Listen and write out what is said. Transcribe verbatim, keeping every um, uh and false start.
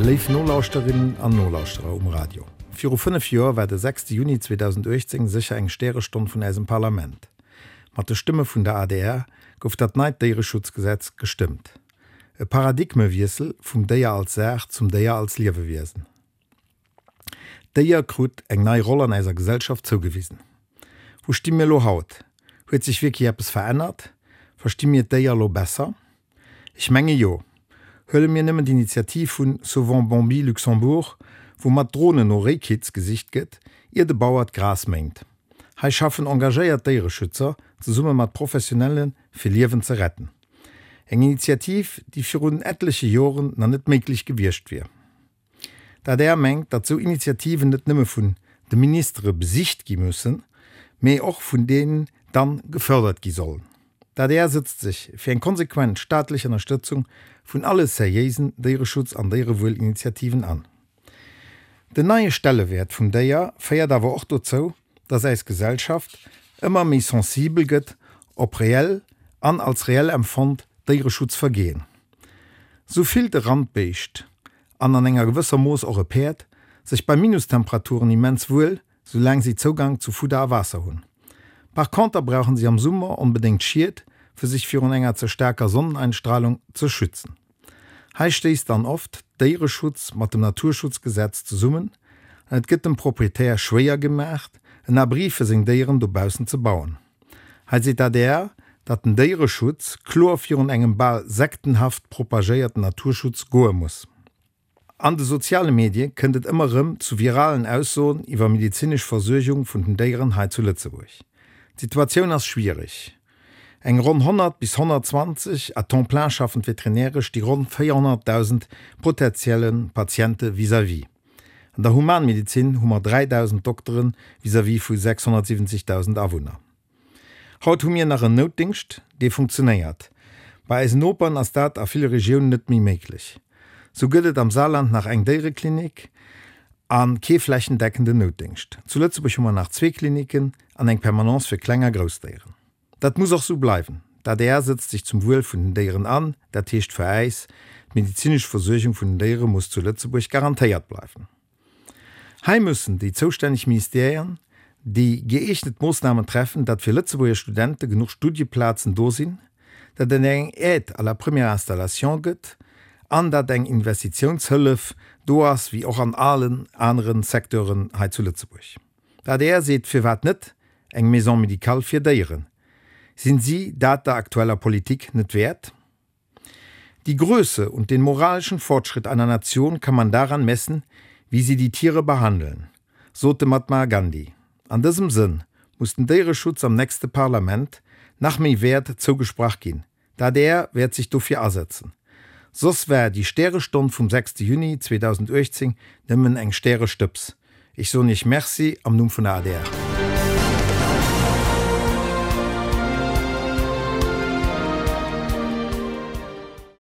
Léif Nolauschterinnen an Nolauschterer um Radio. Viru fënnef Joer war de sechste Juni zweedausenduechtzéng sécher eng Stärestonn vun eisem Parlament. Mat de Stëmme vun der A D R gouf dat neit Déiereschutzgesetz gestëmmt. E Paradigmewiessel vum Déier als Saach zum Déier als Liewewiesen. D'Déier krut eng nei Roll an eiser Gesellschaft zougewisen. Wou sti mir elo haut? Huet sech wierklech eppes verännert? Versti mir d'Déier elo besser? Ech menge jo. Huele mir nëmmen d'Initiativ vun Sauvons Bambi Luxembourg, wou mat Dronen no Réikitz gesicht gëtt, ier de Bauer d'Gras méint. Hei schaffen engagéiert Déiereschützer zesumme mat Professionelle fir Liewen ze retten. Eng Initiativ, déi virun etleche Joren nach net méiglech gewiescht wier. D'A D R mengt, datt sou Initiativen net nëmme vun de Ministere besicht gi mussen, mee och vun deenen dann gefërdert gi sollen. D'A D R sëtzt sech fir eng konsequent staatlech Ënnerstëtzung vun alle seriéisen Déiereschutz an Déierewuelinitiativen an. Den neie Stellewäert vum Déier féiert awer och dozou, datt eis Gesellschaft ëmmer méi sensibel gëtt op reell an als reell empfonnt Déiereschutzvergehen. Sou fillt e Randbéischt, an an enger gewësser Mooss och e Päerd, sech bei Minustemperaturen immens wuel, soulaang si Zougang zu Fudder a Waasser hunn. Par conter brauchen si am Summer onbedéngt Schied, fir sech virun enger ze staarker Sonneneinstrahlung ze schützen. Hei stéisst dann oft Déiereschutz mat dem Naturschutzgesetz zesummen an et gëtt dem Proprietär schwéier gemaach, en Abri fir seng Déieren dobaussen ze bauen. Hei seet d'A D R, datt den Déiereschutz kloer virun engem bal sektenhaft propagéierten Naturschutz goe muss. An de soziale Medie kënnt et ëmmer erëm zu viralen Aussoen iwwer medezinesch Versuergung vun den Déieren hei zu Lëtzebuerg. D'Situatioun ass schwiereg. Eng ronn honnert bis honnertzwanzeg à temps plein schaffend Veterinäre sti ronn véierhonnertdausend potentielle Patiente vis-à-vis. An der Humanmedezin hu mer dräidausend Dokteren vis-à-vis vu sechshonnertsiwwenzegdausend Awunner. Haut hu mir nach en Noutdéngscht, dee funktionéiert. Bei eisen Noperen ass dat a ville Regiounen net méi méiglech. Sou gëtt et am Saarland nach eng Déiereklinik a kee flächendeckenden Noutdéngscht. Zu Lëtzebuerg hu mer nach zwee Kliniken an eng Permanence fir kleng a grouss Déieren. Dat muss och sou bleiwen. D'A D R sëtzt sech zum Wuel vun den Déieren an, dat heescht fir äis, D'medezinesch Versuergung vun den Déiere muss zu Lëtzebuerg garantéiert bleiwen. Hei müssen déi zoustänneg Ministerien déi gëeegnet Moossnamen treffen, datt fir Lëtzebuerger Studente genuch Studieplazen do sinn, datt et eng Aide à la première installation gëtt an datt eng Investitiounshëllef do ass, wéi och an allen anere Secteuren hei zu Lëtzebuerg. D'A D R seet, firwat net eng Maison médicale fir Déieren? Sinn si dat der aktueller Politik net wäert? Die Größe und den moralischen Fortschritt einer Nation kann man daran messen, wie sie die Tiere behandeln, sot de Mahatma Gandhi. An dësem Sënn muss den Déiereschutz am nächste Parlament nach méi Wäert zougesprach ginn. D'A D R wäert sech dofir asetzen. Soss war déi Stärestonn vum sechste Juni zweedausenduechtzéng nëmmen eng Stärestëbs. Ech soen Iech Merci am Numm vun der A D R.